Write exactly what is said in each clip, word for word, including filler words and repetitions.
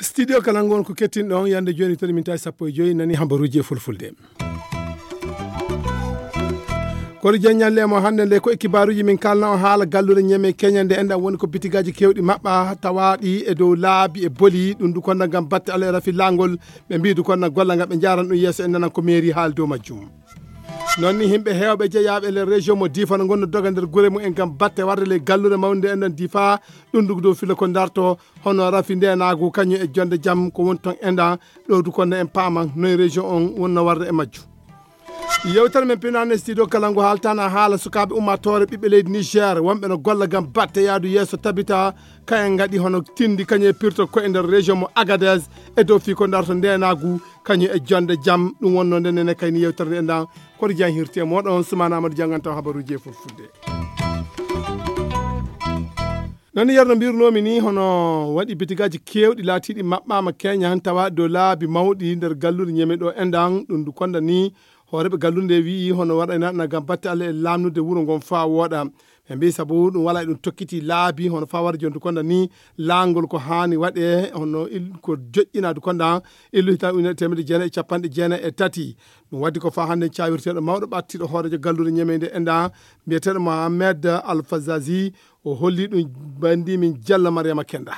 Studio kala ngon ko kettinɗon yande joni tan min tawi sappo e joyi nani hambaruji e fulfulde. Kono jan ñalle mo hannde nde ko e kibaaruji min kalna o haala gallude ñeme keña nde enɗan woni ko bitigaji kewɗi maɓɓa tawaɗi e dow laabi e boli ɗum du konda ngam batte ala e rafi langol. Ɓe mbi du konda golla ngam ɓe jaran ɗum yeeso e nanan ko mairie haali dow majjum. Noon ni himɓe heewɓe jeyaɓe le région mo difa no gonno doga nder gure mum en ngam batte warde le gallude mawnde enɗan difa. Ɗum du dow filo ko darto hono rafi ndenagu kañum e jonde jam ko woni toon enɗan. Ɗo du konda en paama noye région on wonno warde e majju. Yewtere men pinane studio kala ngu haaltana haala sukaaɓe ummatore ɓiɓɓe leydi niger wonɓe no golla gam batte yaadu yeeso tabita. Kayen ngaɗi hono tindi kañum e pirto ko e nder région mo agadez e dow fii ko darto ndenagu kañum e jonde jam ɗum wonno nde nene kayni yewtere nde enɗan. Koto jan hirti e moɗon sumana amadou jangantaw habaruji e fulfulde. Nani yerno mbirnomi ni hono waɗi bitigaji kewɗi laatiɗi maɓɓama keña tawa dow laabi mawɗi nder gallude ñeme ɗo enɗan ɗum du konda ni. Hooreɓe gallude nde wi'i hono waɗayna na gam batte allah e lamnude wuuro ngon fa wooɗa. Ɓe mbi sabu ɗum wala e ɗum tokkiti laabi hono fa wara jondu konda ni. Laangol ko hani waɗe hono ko joƴƴina du konda illuhita ujunere temedde jeenayi e capanɗe jeenayi e tati. Ɗum waddi ko fa hannde cawirteɗo mawɗo ɓattiɗo hoorejo gallude ñemeyde enɗa mbiyeteɗo mohammed alfazazi. O holli ɗum bandi min jalla mariama kenda.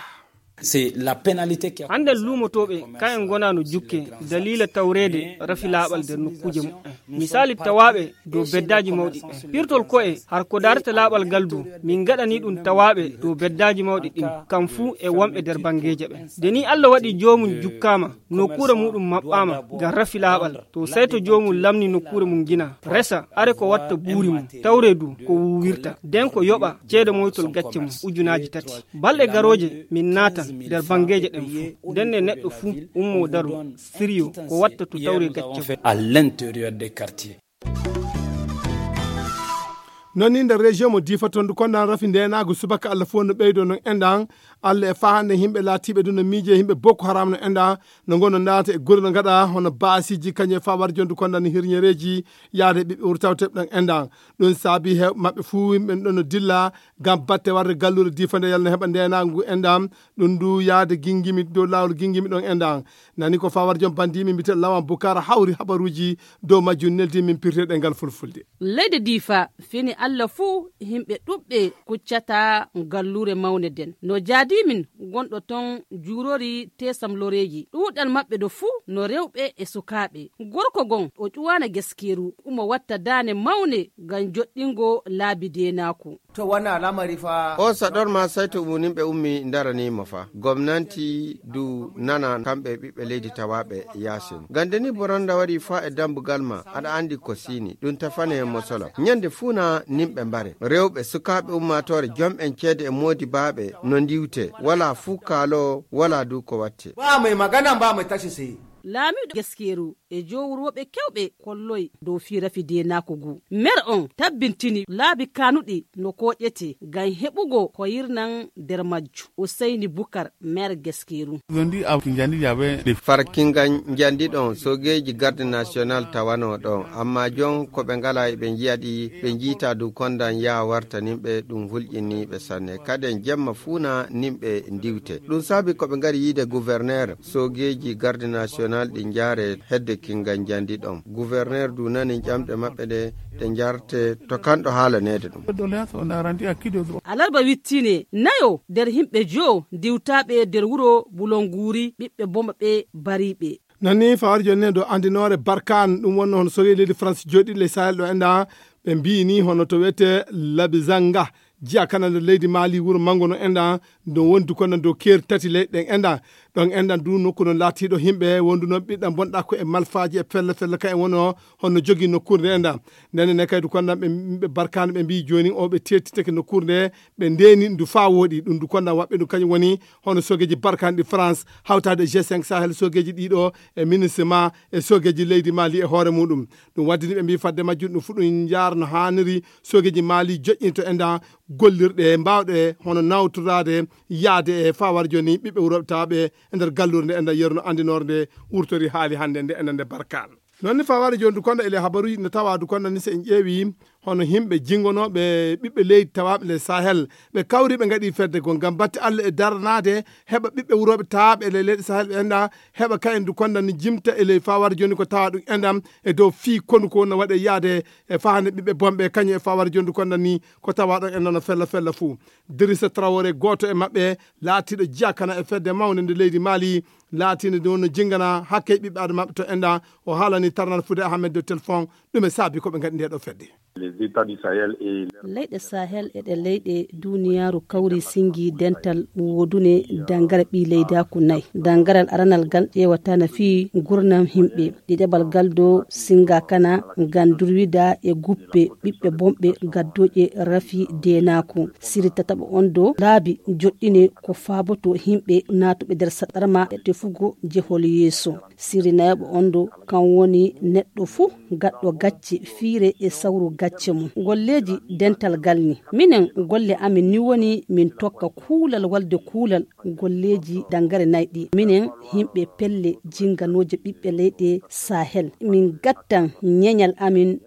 C'est la pénalité qui a hannde luumotooɓe kayen ngonaa no jukke daliila tawreede rafi laaɓal nder nokkuuje mumen. Misali tawaaɓe dow beddaaji mawɗi ɓen pirtol ko'e har ko daarata laaɓal ngal du. Min ngaɗani ɗum tawaaɓe dow beddaaji mawɗi ɗin kam fuu e wonɓe nder banngeeje ɓen. Nde ni allah waɗi joomum jukkaama nokkuure muɗum maɓɓaama ngam rafi laaɓal to sayto joomum lamni nokkuure mum ngina resa are ko watta buuri mum tawre du ko wuwirta nden ko yoɓa ceede moytol gacce mum ujunaaji tati. Balɗe garooje min naatan nder banngeeje ɗen fuu ndenne neɗɗo fuu ummo daro siriyo ko watta to tawre gacce mum. À l'intérieur des quartiers. Noon ni nder région mo difa toon du kondan rafi ndenaagu subaka allah fof no ɓeydo noon enɗan. Allah e fahande yimɓe laatiiɓe du no miije yimɓe boko haram no enɗan no ngono ndaata e gure no ngaɗa hono baasiji kañum e fawar jondu kondan hirñereeji yaade ɓiɓɓe wuro tawteɓe ɗon enɗan. Ɗum saabi heewɓe maɓɓe fuu yimɓe ɗon no dilla ngam batte warde galluure difa nde yalno heɓa ndenaagu enɗan. Ɗum du yaade gingimi dow laawol gingimi ɗon enɗan. Nani ko fawar jom bandimi mbite lawan bukara hawri habaruuji dow majjum neldi min pirteɗe ngal fulfulde. Leydi difa fini allah fuu yimɓe ɗuɓɓe kuccata ngalluure mawne nden no jaadimin gonɗo ton juurori tesamloreeji ɗuuɗal maɓɓe ɗo fuu no rewɓe e sukaaɓe. Gorko gon o ƴuwaana geskeeru umo watta daane mawne ngam joɗɗingo laabi deenaaku. To wona lamari fa o saɗor ma sayto umunimɓe ummi ndarani mo fa gomnanti du nana kamɓe ɓiɓɓe leydi tawaɓe yasin gande ni boranda waɗi fa e dambugal ma aɗa andi ko sini ɗum tafane mosola ñande funa nimɓe mbare rewɓe sukaɓe ummatore jom en ceede e modi baɓe no ndiwte wala fu kaalo wala du ko watte. Ba mai magana ba mai tashi sai. Laamiiɗo geskeeru e jowrooɓe kewɓe kolloy dow fii rafi deenaaku ngu. Meer on tabbintini laabi kaanuɗi no kooƴete ngam heɓugo ko yirnan nder majju. Useyni Bukar, meer geskeeru. Farkinga njandi ɗon sogeeji garde national tawano ɗon amma jon ko ɓe ngala e ɓe njiyaɗi ɓe njiita du kondan yaa wartaninɓe ɗum hulƴiniiɓe sanne kaden jemma fuuna nimɓe ndiwte ɗum saabi ko ɓe ngari yiide gouverneur. Soogeeji garde national ɗi njaare hedde kingal njandi ɗon gouverneur du nani ƴamɗe maɓɓe ɗe ɗe njarte to kanɗo haalaneede ɗum. Alarba wittine nayo nder himɓe jo ndiwtaaɓe nder wuro bulonguuri ɓiɓɓe boma ɓe bariiɓe. Nani fawar jonni ɗo andinoore barkan ɗum wonno hono soogeeji leydi france jooɗiɗi ley sahel ɗo enɗa ɓe mbiyi ni hono to wiyete labizanga. Jiya kana nder leydi mali wuro mango no enɗan ɗum woni du konɗan dow keeri tati leyɗe ɗen enɗan. Ɗon enɗan du nokku non laatiɗo yimɓe wondu noon ɓiɗɗan bonɗa ko e malfaji e felle felle ka en wono honno jogii nokkuure nde enɗan. Ndenne ne kay du konɗan ɓe yimɓe barkano ɓe mbiyi jooni o ɓe tettitake nokkuure nde ɓe ndeni ndu fa wooɗi ɗum du konɗan waɓɓe ɗum kañum woni hono sogeji barkano ɗi france hawtade g cinq sahel sogeji ɗiɗo e ministre ma e sogeji leydi mali e hoore muɗum. Ɗum waddini ɓe mbi fadde majjum ɗum fu ɗum jaara no haniri sogeji mali joƴƴinto e nda gollirɗe mbawɗe hono nawtorade yaade e fawar joni ɓiɓɓe wuroɓe tawaɓe e nder gallure nde e nder yerno andinore nde wurtori haali hannde nde enen nde barkan. Noon ni fawaade jooni du konda ele habaruuji no tawa du konda ni so en ƴeewi hono yimɓe jinngonooɓe ɓiɓɓe leydi tawaaɓe le Sahel, ɓe kawri ɓe ngaɗi fedde goo ngam batte Allah e daranaade heɓa ɓiɓɓe wurooɓe tawaaɓe ele leyɗe Sahel ɓe enɗa heɓa kayen du konda ni jimta e ley fawaade jooni ko tawa ɗum enɗam e dow fii konu ko no waɗe yaade e fahande ɓiɓɓe bomɓe kañum e fawaade jooni du konda ni ko tawa ɗon enɗa no fella fella fuu. Dirisa Traoré gooto e maɓɓe laatiiɗo jiya kana e fedde mawnde nde leydi Mali laatiinde ɗum no jinngana hakke ɓiɓɓe adamaaɓe to enɗa o haalani tarnal fude Ahmed de Telfon ɗum e saabi ko ɓe ngaɗi nde ɗo fedde. Leyɗe Sahel e ɗe leyɗe duniyaaru kawri singi dental woodune dangare ɓii leydaaku nay. Dangaral aranal gal ƴeewata na fii gurnam himɓe. Ɗiɗaɓal gal do singa kana ngam durwida e guppe ɓiɓɓe bomɓe gaddooje rafi deenaaku. Siri tataɓo on do laabi joɗɗine ko faaboto himɓe naatuɓe nder saɗarma e tefugo jehol yeeso. Siri nayaɓo on do kan woni neɗɗo fuu gaɗɗo gacce fiire e sawru gacce mum. Golleeji dental gal ni. Minen golle amin ni woni min tokka kuulal walde kuulal golleeji dangare nay ɗi. Minen himɓe pelle jinganooje ɓiɓɓe leyɗe Sahel. Min gattan ñeñal amin.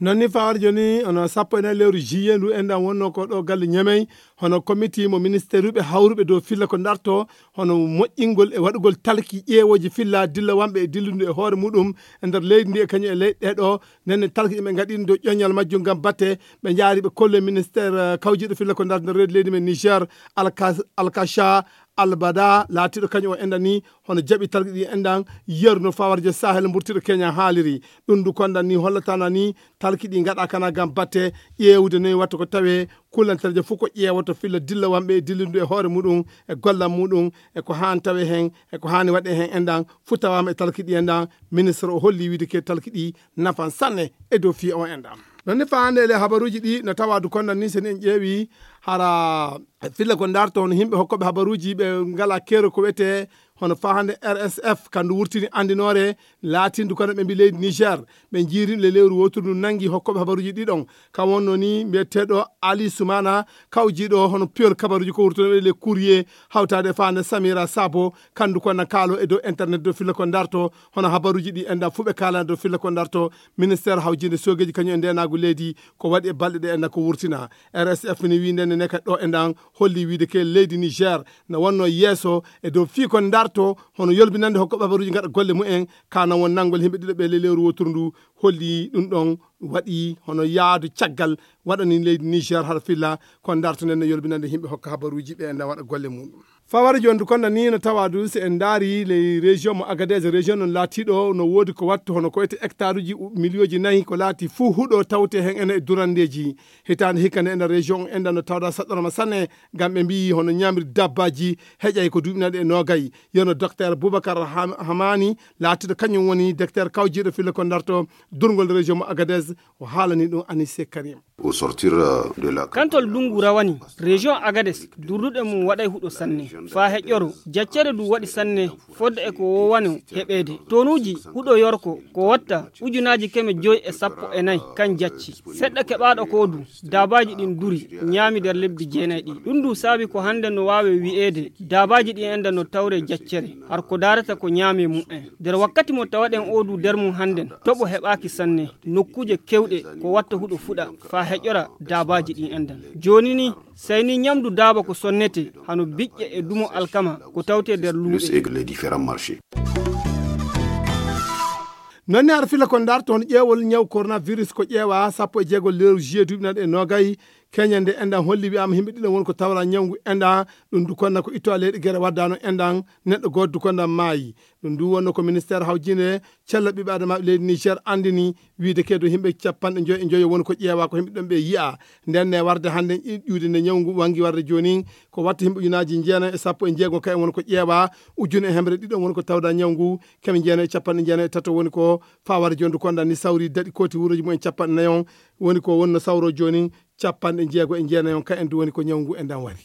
Noon ni fawaade jooni hono sappo e nayi lewru juillet ndu enɗan wonno ko ɗo galle Ñamey hono comité mo ministère uɓe hawruɓe dow filla ko darto hono moƴƴingol e waɗugol talki ƴeewooji filla dilla wamɓe e dillundu e hoore muɗum e nder leydi ndi e kañum e leyɗe ɗe ɗo. Nden ne talki ɗi ɓe ngaɗi ɗum dow ƴoññal majjum ngam batte ɓe njaari ɓe kolle ministère kawjiiɗo filla ko darto nder reedu leydi men Niger, Alkacha Albada laatiiɗo kañum o enɗan ni hono jaɓi talki ɗi enɗan yeru no fawarje Sahel mburtiɗo Kenya haaliri. Ɗum du kondan ni hollatana ni talki ɗi ngaɗa kana ngam batte ƴeewude noy watta ko tawe kullanterje fof ko ƴeewoto filla dilla wamɓe e dillindu e hoore muɗum e gollal muɗum e ko haan tawe heen e ko haani waɗe heen enɗan fof tawama e talki ɗi enɗan. Ministre o holli wiide ke talki ɗi nafan sanne e dow fii o enɗan. Noon ni faande ele habaruuji ɗi no tawa du kondan ni sen en ƴeewi hara filla ko darto hono yimɓe hokkoɓe habaruuji ɓe ngala keero ko wiyete hono fahande R S F kandu wurtini andinoore laatindu kono ɓe mbi leydi Niger ɓe jiiri le lewru woturu ndu nangi hokkoɓe habaruuji ɗiɗon kam wonno ni mbiyeteɗo Ali Soumana kawjiɗo hono piyol kabaruuji ko wurtuno le courrier hawtade fahande Samira Sabo kandu ko na kaalo e dow internet dow filla ko darto hono habaruuji ɗi enɗan fuɓe kala dow filla ko darto. Ministère hawjinde sogeji kañum e ndenagu leydi ko waɗi e balɗe ɗe enɗan ko wurtina. R S F ni wi ndenne ne ka ɗo enɗan holli wiide ke leydi Niger no wonno yeeso e dow fii ko darto hono yolbinande hokkoɓe habaruuji ngaɗa golle mumen kana won nanngol yimɓe ɗiɗo ɓe le lewru woturu ndu holli ɗum ɗon waɗi hono yaadu caggal waɗani leydi Niger hara filla ko darto nden no yolbinande yimɓe hokka habaruuji ɓe enɗan waɗa golle muɗum. Fawara jooni du konda ni no tawa du so en ndaari ley région mo Agadez région non laatiɗo no woodi ko wattu hono ko ete hectare uji miliyooji nayi ko laati fuu huɗo tawte heen ene e durandeeji. Hitaande hikka nde ena région enɗan no tawda saɗɗorma sanne ngam ɓe mbiyi hono ñaamri dabbaji heƴay ko duuɓinaɗe e noogay. Yono docteur Boubacar Hamani laatiɗo kañum woni docteur kawjiiɗo fille ko darto durngol région mo Agadez o haalani ɗum Anise Karim. Kantol ndungu rawani région Agadez durduɗe mum waɗay huɗo sanne faa heƴƴoro jaccere du waɗi sanne fodde e ko wowano heɓeede tonuuji huɗo yorko ko watta ujunaaji keme joy e sappo e nayi kan jacci seɗɗa keɓaaɗo ko du daabaaji ɗin duri ñaami nder lebbi jeenay ɗi ɗum du saabi ko hannde no waawe wi'eede daabaaji ɗin enda no tawre jaccere har ko daarata ko ñaame mum en nder wakkati mo tawaɗen oo du nder mum hannden toɓo heɓaaki sanne nokkuuje kewɗe ko watta huɗo fuɗa faa heƴora daabaaji ɗin endan jooni ni sey ni ñamdu daaba ko sonnete hano biƴƴe e dumo alkama ko tawte nder luuɓe. Noon ne hara fila ko darto hono ƴeewol ñaw coronavirus ko ƴeewa sappo e jeego lewru juillet duuɓi naɗe e noogay keña nde endan holli wi'ama yimɓe ɗiɗon woni ko tawra ñawngu endan ɗum du konna ko ittowa leyɗe gere waddano endan neɗɗo gooto du kondan maayi. Ɗum du wonno ko ministère hawjinde cella ɓiɓɓe adamaaɓe leydi Niger anndini wiide keedo yimɓe capanɗe joyi e joyo woni ko ƴeewa ko yimɓe ɗon ɓe yi'a. Nden ne warde hannde ƴuude nde ñawngu wangi warde jooni ko watta yimɓe ujunaaji jeenayi e sappo e jeego kayen woni ko ƴeewa ujune e hemre ɗiɗon woni ko tawda ñawngu keme jeenayi e capanɗe jeenayi e tato woni ko fawara jooni du kondan ni sawri daɗi kooti wuroji mumen capanɗe nayon woni ko wonno sawro jooni capanɗe jeego e jeenayon kayen du woni ko ñawngu endan wari.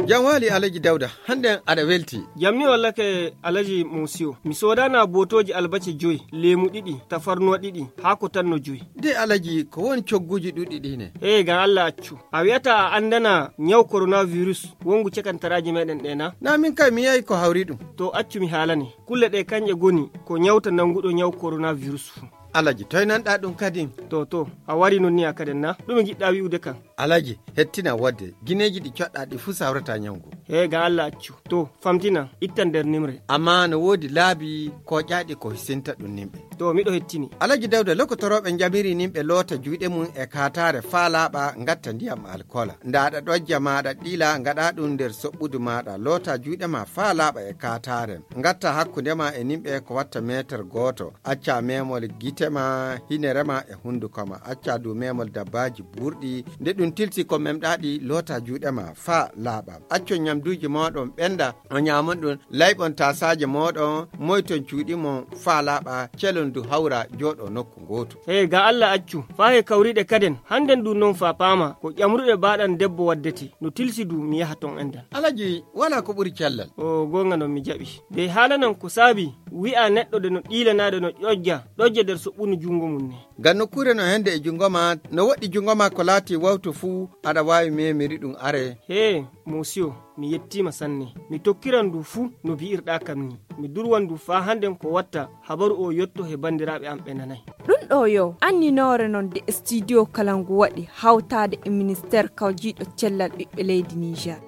Jam waali, Alaji Dawda, hannden aɗa welti. Jam ni wallake, Alaji Musiyo. Mi soodana bootooji albace joy, leemu ɗiɗi, tafarnuwa ɗiɗi, haako tan no joy. De Alaji, ko won cogguuji ɗuɗɗi ɗi ne? Hee, ngam Allah accu. A wi'ata a anndana nyaw coronavirus wonngu cakantaraaji meɗen ɗe na? Na min kay mi yahi ko hawri ɗum. To accu mi haalane. Kulle ɗe kanje ngoni ko nyawta nannguɗo nyaw coronavirus fuu. Alaji, toy nanɗa ɗum kadin? To, to, a wari non ni a kaden na? Ɗume ngiɗɗa wi'ude kan? Alaji, hettina wodde, gineeji ɗi coɗɗa ɗi fuu sawrata nyaw ngu. Hee, ngam Allah accu. To, famtina, ittan nder nimre. Amma no woodi laabi kooƴaaɗi ko hisinta ɗum nimɓe. To, miɗo hettini. Alaji Dawda, lokotorooɓe njamiri nimɓe loota juuɗe mum e kaataare faa laaɓa, ngatta ndiyam alkoola. Nda aɗa ɗojja ma aɗa ɗiila, ngaɗa ɗum nder soɓɓudu maaɗa, loota juuɗe ma faa laaɓa e kaataare. Ngatta hakkunde ma e nimɓe ko watta meetar gooto. Acca memol gite ma, hinere ma e hunduko ma. Acca du memol dabbaaji buurɗi. Nde ɗum tilsi ko memɗa ɗi, loota juuɗe ma faa laaɓa. Accu nyamduuji mooɗon ɓenda, o nyaamon ɗum. Layɓon taasaaje mooɗon, moyton cuuɗi mon faa laaɓa, celon du hawra jooɗo nokku ngootu. Hee, ngam Allah accu, faa he kawriɗe kaden, hannden du non faa paama, ko ƴamruɗe baaɗan debbo waddete, no tilsi du mi yaha ton endan. Alaji, walaa ko ɓuri cellal. O goonga non mi jaɓi. De haalanan ko saabi, wi'a neɗɗo de no ɗiilanaade no ƴojja, ɗojja nder soɓɓunu junngo mum ne. Ngam nokkuure no hende e junngo ma, no woɗɗi junngo ma ko laati wawto fuu, aɗa waawi memiri ɗum are. Hee, Musiyo, mi yettiima sanne. Mi tokkiran ndu fuu no bi'irɗaa kam ni. Mi durwan ndu faa hannden ko watta habaru o yotto he banndiraaɓe am ɓe nanay. Ɗum ɗo yo anninoore non de studio kala ngu waɗi hawtaade e ministeer kawjiiɗo cellal ɓiɓɓe leydi Niger.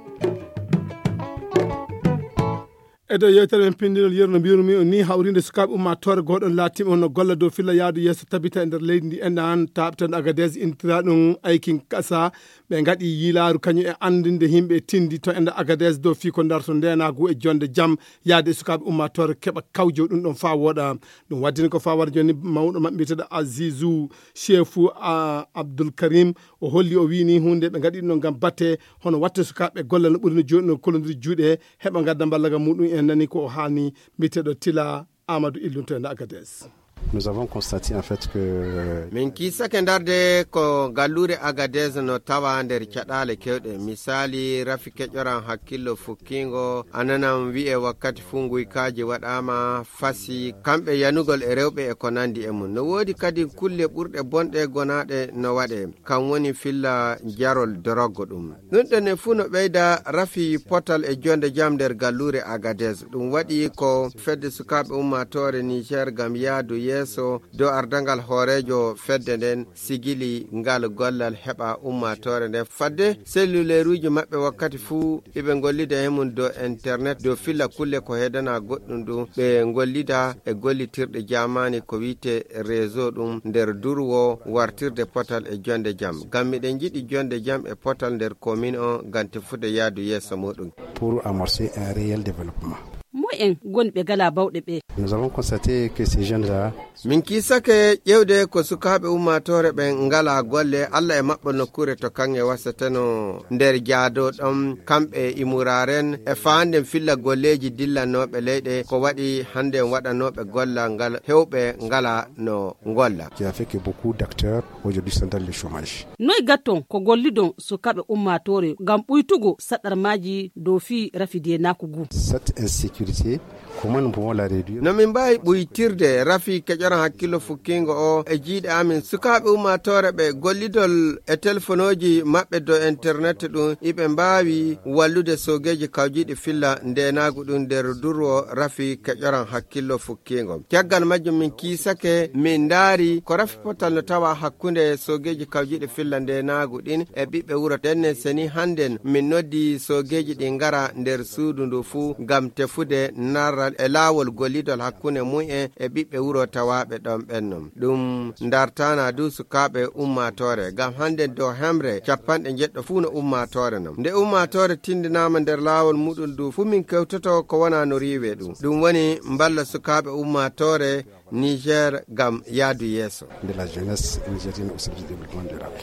E dow yeewtere men pinndinol yeru no mbiyunmi on ni, hawrinde sukaaɓe ummaatoore gooɗon laatiiɓe on no golla dow filla yaadu yeeso tabita e nder leydi ndi enɗan taaɓtande Agadez intinaa ɗum Aikin Kasa. Ɓe ngaɗi yiilaaru kañum e anndinde yimɓe tindi to enɗan Agadez dow fii ko darto ndeenaagu e jonde jam yaade e sukaaɓe ummaatoore keɓa kawjo ɗum ɗon faa wooɗa. Ɗum waddini ko faa wara jooni mawɗo maɓɓe mbiyeteeɗo Azizu Shefu a Abdul Karim. O holli, o wiyi ni huunde ɓe ngaɗi ɗum ngam batte hono watte sukaaɓe golla no ɓuri no jooɗi no kolondiri juuɗe heɓa ngadda mballaga muɗum en nani ko o haalni mbiyeteeɗo Tila Amadou Illunto e Agadez. Nous avons constaté en fait que Min kiisake ndarde ko galluure Agadez no tawa nder caɗaale kewɗe. Misaali, rafi keƴoran hakkillo fukkiingo, ananan wi'e wakkati fuu nguykaaji waɗaama, fasi, kamɓe yanugol e rewɓe e ko nandi e mum. No woodi kadi kulle ɓurɗe bonɗe gonaaɗe no waɗe. Kam woni filla jarol doroggo ɗum. Ɗum ɗon e fuu no ɓeyda rafi potal e jonde jam nder galluure Agadez. Ɗum waɗi ko fedde sukaaɓe ummaatoore Niger ngam yahdu yeeso dow ardangal hooreejo fedde nden sigili ngal gollal heɓa ummaatoore nden. Fadde selluleeruuji maɓɓe wakkati fuu iɓe ngollida he mum dow internet, dow filla kulle ko heedana goɗɗum ɗum. Ɓe ngollida e gollitirɗe jaamaani ko wi'ete réseau ɗum nder durwo wartirde potal e jonde jam. Ngam miɗen njiɗi jonde jam e potal nder commune on ngam tefude yahdu yeeso muɗum. Pour amorcer un réel développement. Moy en ngoni ɓe ngalaa bawɗe ɓe? Nous avons constaté que ces jeunes-là Min kiisake ƴeewde ko sukaaɓe ummaatoore ɓen ngalaa golle, Alla e maɓɓo nokkuure to kaŋŋe wasateno nder jaado ɗon, kamɓe e imuraaren e faanden filla golleeji dillanooɓe leyɗe, ko waɗi hannden waɗanooɓe gollal ngal hewɓe ngalaa no ngolla. Qui a fait que beaucoup d'acteurs aujourd'hui sont dans le chômage. Noy gatton ko gollidon sukaaɓe ummaatoore ngam ɓuytugo saɗarmaaji dow fii rafi deenaaku ngu? Cette insécurité, comment nous pouvons la réduire? No min mbaawi ɓuytirde rafi keƴoran hakkillo fukkiingo o e jiiɗe amin? Sukaaɓe ummaatoore ɓe gollidol e telefonooji maɓɓe dow internet ɗum, iɓe mbaawi wallude soogeeji kawjiiɗi filla ndeenaagu ɗum nder durwo rafi keƴoran hakkillo fukkiingo. Caggal majjum min kiisake, min ndaari ko rafi potal no tawa hakkunde soogeeji kawjiiɗi filla ndeenaagu ɗin e ɓiɓɓe wuro. Ndenne seni hannden min noddi soogeeji ɗi ngara nder suudu ndu fuu ngam tefude narral e laawol gollidol hakkunde mum en e ɓiɓɓe wuro tawaaɓe ɗon ɓen non. Ɗum ndartaana du sukaaɓe ummaatoore, ngam hannden dow hemre capanɗe njeɗɗo fuu no ummaatoore non. Nde ummaatoore tindinaama nder laawol muɗum ndu fuu min kewtoto ko wona no riiwe ɗum. Ɗum woni mballa sukaaɓe ummaatoore Niger ngam yahdu yeeso. De la jeunesse nigérienne au service du développement durable.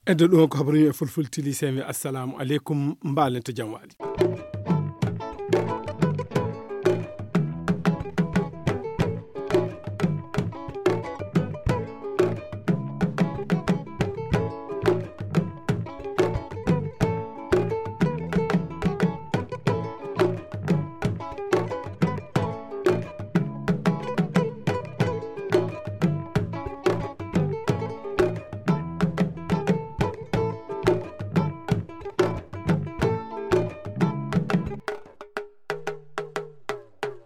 Eddo ɗum ko habaruji e fulfulde tili, sey mi assalamu aleykum, mbaalen to jam waali.